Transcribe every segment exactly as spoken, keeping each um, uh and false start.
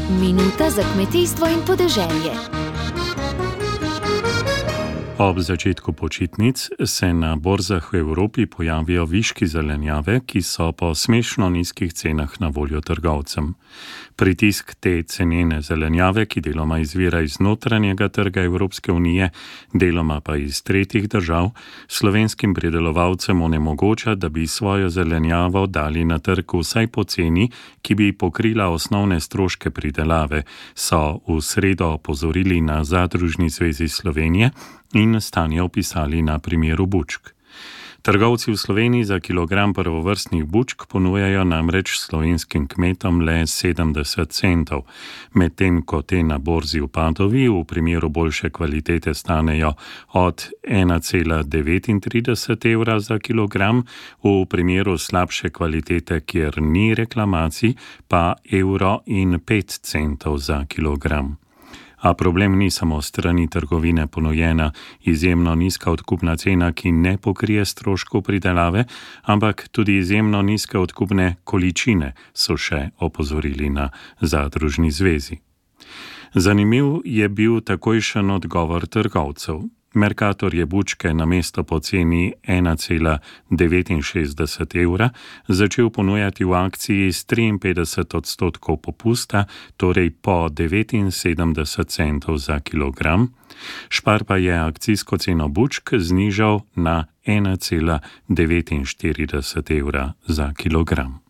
Minuta za kmetijstvo in podeželje. Ob začetku počitnic se na borzah v Evropi pojavijo viški zelenjave, ki so po smešno nizkih cenah na voljo trgovcem. Pritisk te cenene zelenjave, ki deloma izvira iz notranjega trga Evropske unije, deloma pa iz tretjih držav, slovenskim pridelovalcem onemogoča, da bi svojo zelenjavo dali na trg vsaj po ceni, ki bi pokrila osnovne stroške pridelave, so v sredo opozorili na Zadružni zvezi Slovenije in stanje opisali na primeru bučk. Trgovci v Sloveniji za kilogram prvovrstnih bučk ponujajo namreč slovenskim kmetom le sedemdeset centov, medtem ko te na borzi v Padovi v primeru boljše kvalitete stanejo od ena cela devetintrideset evra za kilogram, v primeru slabše kvalitete, kjer ni reklamacij, pa evro in pet centov za kilogram. A problem ni samo strani trgovine ponujena izjemno nizka odkupna cena, ki ne pokrije stroškov pridelave, ampak tudi izjemno nizke odkupne količine, so še opozorili na Zadružni zvezi. Zanimiv je bil takojšen odgovor trgovcev. Mercator je bučke namesto po ceni ena cela devetinšestdeset evra začel ponujati v akciji s triinpetdeset odstotkov popusta, torej po devetinsedemdeset centov za kilogram. Špar pa je akcijsko ceno bučk znižal na ena cela devetinštirideset evra za kilogram.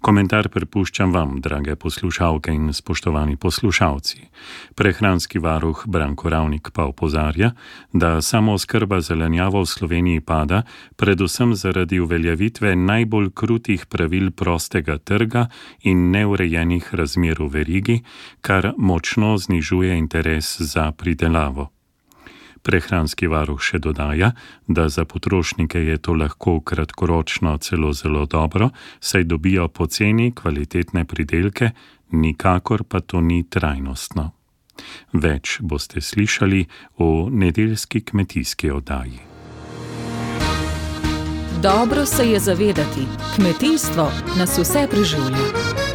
Komentar prepuščam vam, drage poslušalke in spoštovani poslušalci. Prehranski varuh Branko Ravnik pa opozarja, da samooskrba zelenjavo v Sloveniji pada, predvsem zaradi uveljavitve najbolj krutih pravil prostega trga in neurejenih razmer v verigi, kar močno znižuje interes za pridelavo. Prehranski varuh še dodaja, da za potrošnike je to lahko kratkoročno celo zelo dobro, saj dobijo poceni kvalitetne pridelke, nikakor pa to ni trajnostno. Več boste slišali v nedeljski kmetijski oddaji. Dobro se je zavedati, kmetijstvo nas vse preživlja.